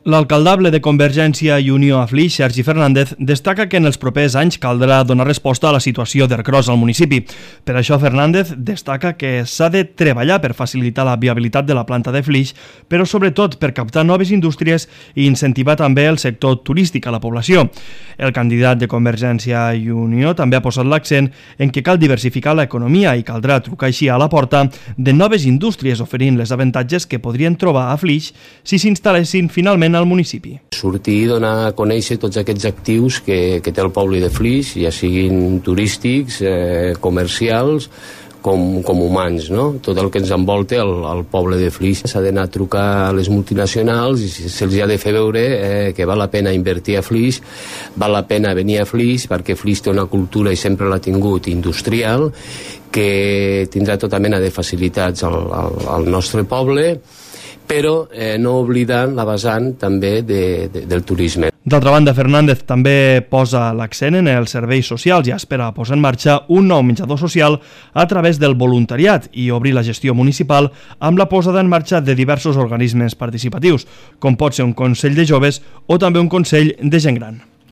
L'alcaldable de Convergència i Unió a Flix, Sergi Fernández, destaca que en els propers anys caldrà donar resposta a la situació d'Ercros al municipi. Per això, Fernández destaca que s'ha de treballar per facilitar la viabilitat de la planta de Flix, però sobretot per captar noves indústries i incentivar també el sector turístic a la població. El candidat de Convergència i Unió també ha posat l'accent en que cal diversificar l'economia i caldrà trucar així a la porta de noves indústries oferint les avantatges que podrien trobar a Flix si s'instal·lessin finalment al municipi. Sortir i donar a conèixer tots aquests actius que té el poble de Flix, ja siguin turístics, comercials, com humans, no? Tot el que ens envolta el poble de Flix. S'ha d'anar a trucar a les multinacionals i se'ls ha de fer veure que val la pena invertir a Flix, val la pena venir a Flix perquè Flix té una cultura i sempre l'ha tingut industrial, que tindrà tota mena de facilitats al nostre poble, però no oblidant la vessant també del turisme. D'altra banda, Fernández també posa l'accent en els serveis socials i espera posar en marxa un nou menjador social a través del voluntariat i obrir la gestió municipal amb la posada en marxa de diversos organismes participatius, com pot ser un Consell de Joves o també un Consell de Gent Gran.